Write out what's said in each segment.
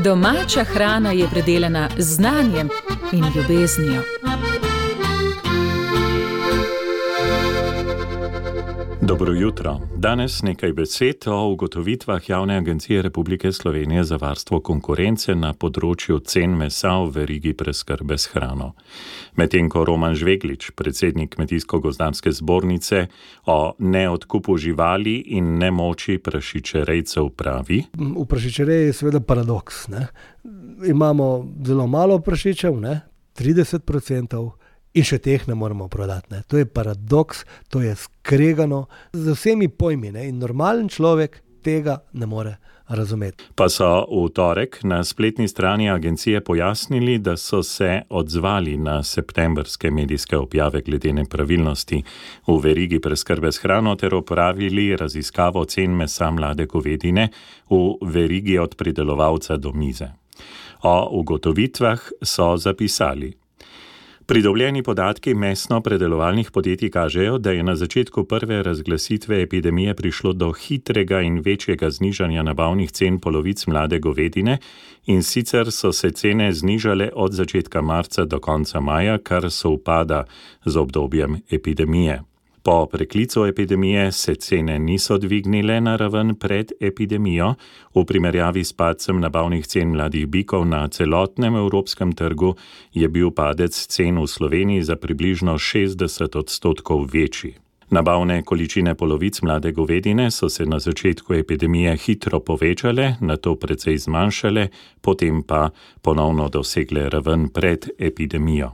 Domača hrana je predelana z znanjem in ljubeznijo. Dobro jutro. Danes nekaj besed o ugotovitvah Javne agencije Republike Slovenije za varstvo konkurence na področju cen mesa v verigi preskrbe s hrano. Medtem ko Roman Žveglič, predsednik Kmetijsko-gozdarske zbornice, o neodkupu živali in nemoči prašičerejcev pravi: V prašičereji je seveda paradoks. Imamo zelo malo prašičev, 30%, in še teh ne moremo prodati. To je paradoks, to je skregano z vsemi pojmi, in normalen človek tega ne more razumeti. Pa so v torek na spletni strani agencije pojasnili, da so se odzvali na septembrske medijske objave glede nepravilnosti v verigi preskrbe s hrano ter opravili raziskavo cen mesa mlade govedine v verigi od pridelovalca do mize. O ugotovitvah so zapisali: Pridobljeni podatki mesno-predelovalnih podjetij kažejo, da je na začetku prve razglasitve epidemije prišlo do hitrega in večjega znižanja nabavnih cen polovic mlade govedine, in sicer so se cene znižale od začetka marca do konca maja, kar sovpada z obdobjem epidemije. Po preklicu epidemije se cene niso dvignile na raven pred epidemijo. V primerjavi s padcem nabavnih cen mladih bikov na celotnem evropskem trgu je bil padec cen v Sloveniji za približno 60% večji. Nabavne količine polovic mlade govedine so se na začetku epidemije hitro povečale, nato precej zmanjšale, potem pa ponovno dosegle raven pred epidemijo.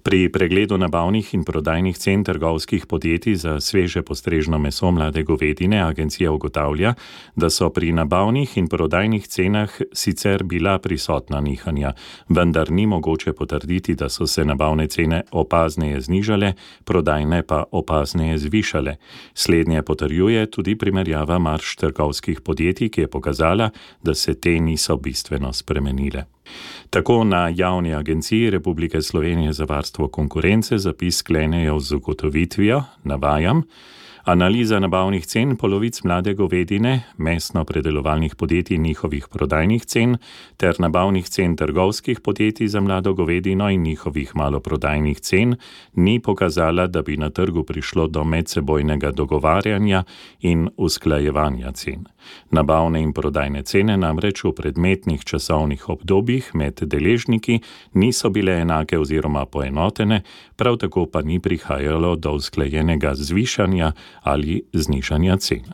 Pri pregledu nabavnih in prodajnih cen trgovskih podjetij za sveže postrežno meso mlade govedine agencija ugotavlja, da so pri nabavnih in prodajnih cenah sicer bila prisotna nihanja, vendar ni mogoče potrditi, da so se nabavne cene opazneje znižale, prodajne pa opazneje zvišale. Slednje potrjuje tudi primerjava marž trgovskih podjetij, ki je pokazala, da se te niso bistveno spremenile. Tako na Javni agenciji Republike Slovenije za varstvo konkurence zapis sklenejo z ugotovitvijo, navajam: Analiza nabavnih cen polovic mlade govedine, mesno-predelovalnih podjetij in njihovih prodajnih cen ter nabavnih cen trgovskih podjetij za mlado govedino in njihovih maloprodajnih cen ni pokazala, da bi na trgu prišlo do medsebojnega dogovarjanja in usklajevanja cen. Nabavne in prodajne cene namreč v predmetnih časovnih obdobjih med deležniki niso bile enake oziroma poenotene, prav tako pa ni prihajalo do usklajenega zvišanja ali znižanja cen.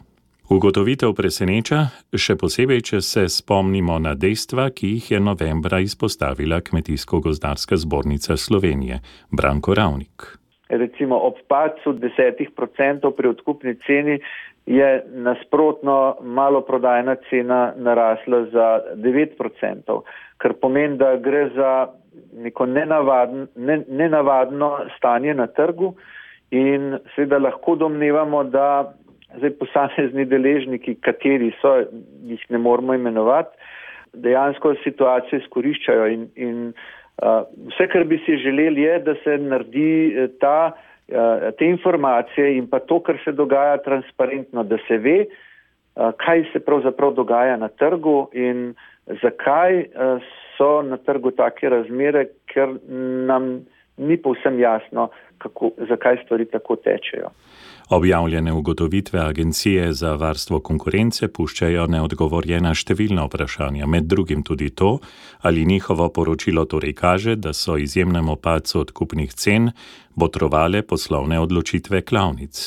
Ugotovitev preseneča, še posebej, če se spomnimo na dejstva, ki jih je novembra izpostavila Kmetijsko-gozdarska zbornica Slovenije. Branko Ravnik. Recimo ob padcu 10% pri odkupni ceni je nasprotno maloprodajna cena narasla za 9%, kar pomeni, da gre za neko nenavadno stanje na trgu. In seveda lahko domnevamo, da posamezni deležniki, kateri so, jih ne moramo imenovati, dejansko situacijo izkoriščajo in vse, kar bi si želeli, je, da se naredi te informacije in pa to, kar se dogaja, transparentno, da se ve, kaj se pravzaprav dogaja na trgu in zakaj so na trgu take razmere, ker nam ni povsem jasno, zakaj stvari tako tečejo. Objavljene ugotovitve Agencije za varstvo konkurence puščajo neodgovorjena številna vprašanja, med drugim tudi to, ali njihovo poročilo torej kaže, da so izjemnemu padcu odkupnih cen botrovale poslovne odločitve klavnic.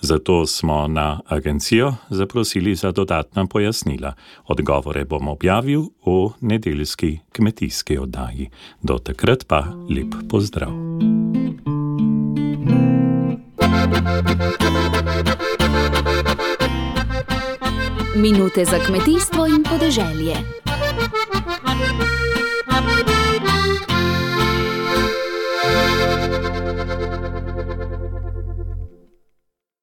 Zato smo na agencijo zaprosili za dodatna pojasnila. Odgovore bom objavil v nedeljski kmetijski oddaji. Do takrat pa lep pozdrav. Minute za kmetijstvo in podeželje.